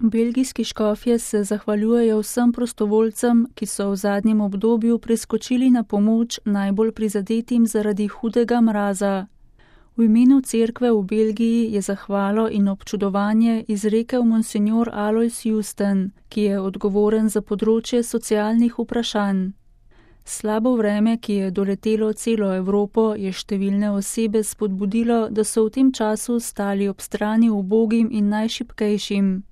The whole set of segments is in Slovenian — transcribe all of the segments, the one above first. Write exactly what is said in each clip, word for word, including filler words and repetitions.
Belgijski škofje se zahvaljujejo vsem prostovoljcem, ki so v zadnjem obdobju priskočili na pomoč najbolj prizadetim zaradi hudega mraza. V imenu cerkve v Belgiji je zahvalo in občudovanje izrekel monsinjor Alois Justen, ki je odgovoren za področje socialnih vprašanj. Slabo vreme, ki je doletelo celo Evropo, je številne osebe spodbudilo, da so v tem času stali ob strani ubogim in najšibkejšim.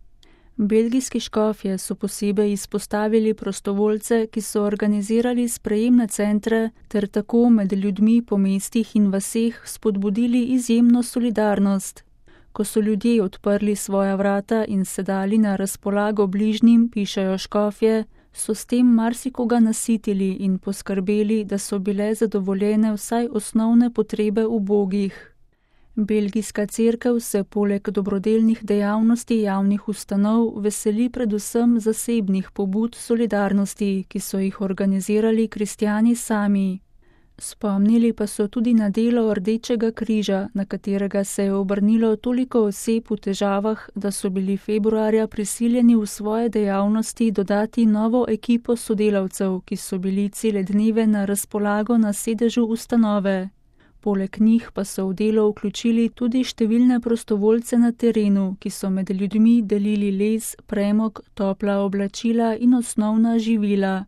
Belgijski škofje so posebej izpostavili prostovoljce, ki so organizirali sprejemne centre ter tako med ljudmi po mestih in vaseh spodbudili izjemno solidarnost. Ko so ljudje odprli svoja vrata in se dali na razpolago bližnjim, pišejo škofje, so s tem marsikoga nasitili in poskrbeli, da so bile zadovoljene vsaj osnovne potrebe ubogih. Belgijska cerkev se poleg dobrodelnih dejavnosti javnih ustanov veseli predvsem zasebnih pobud solidarnosti, ki so jih organizirali kristjani sami. Spomnili pa so tudi na delo Rdečega križa, na katerega se je obrnilo toliko oseb v težavah, da so bili februarja prisiljeni v svoje dejavnosti dodati novo ekipo sodelavcev, ki so bili cele dneve na razpolago na sedežu ustanove. Poleg njih pa so v delo vključili tudi številne prostovoljce na terenu, ki so med ljudmi delili les, premog, topla oblačila in osnovna živila.